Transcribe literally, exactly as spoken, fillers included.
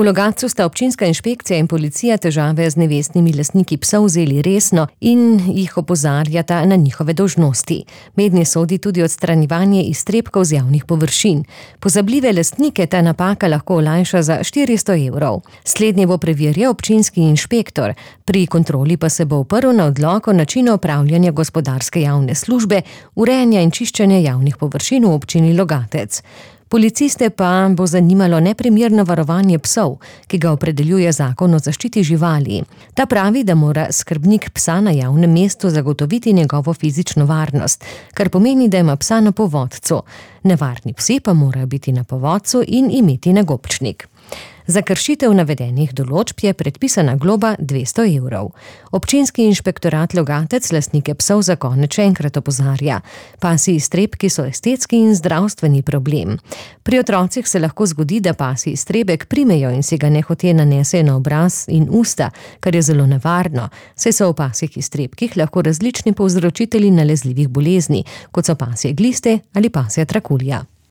V Logatcu sta občinska inšpekcija in policija težave z nevestnimi lastniki psov vzeli resno in jih opozarjata na njihove dolžnosti. Mednje sodi tudi odstranjevanje iztrebkov z javnih površin. Pozabljive lastnike ta napaka lahko olajša za štiristo evrov. Slednje bo preverjal občinski inšpektor. Pri kontroli pa se bo oprl na odlok o načinu opravljanja gospodarske javne službe, urejanja in čiščenja javnih površin v občini Logatec. Policiste pa bo zanimalo neprimerno varovanje psov, ki ga opredeljuje zakon o zaščiti živali. Ta pravi, da mora skrbnik psa na javnem mestu zagotoviti njegovo fizično varnost, kar pomeni, da ima psa na povodcu. Nevarni psi pa morajo biti na povodcu in imeti nagobčnik. Za kršitev navedenih določb je predpisana globa dvesto evrov. Občinski inšpektorat Logatec lastnike psov za konec še enkrat opozarja. Pasji iztrebki so estetski in zdravstveni problem. Pri otrocih se lahko zgodi, da pasji iztrebek primejo in si ga nehote nanesejo na obraz in usta, kar je zelo nevarno, saj so v pasjih iztrebkih lahko različni povzročitelji nalezljivih bolezni, kot so pasje gliste ali pasja trakulja.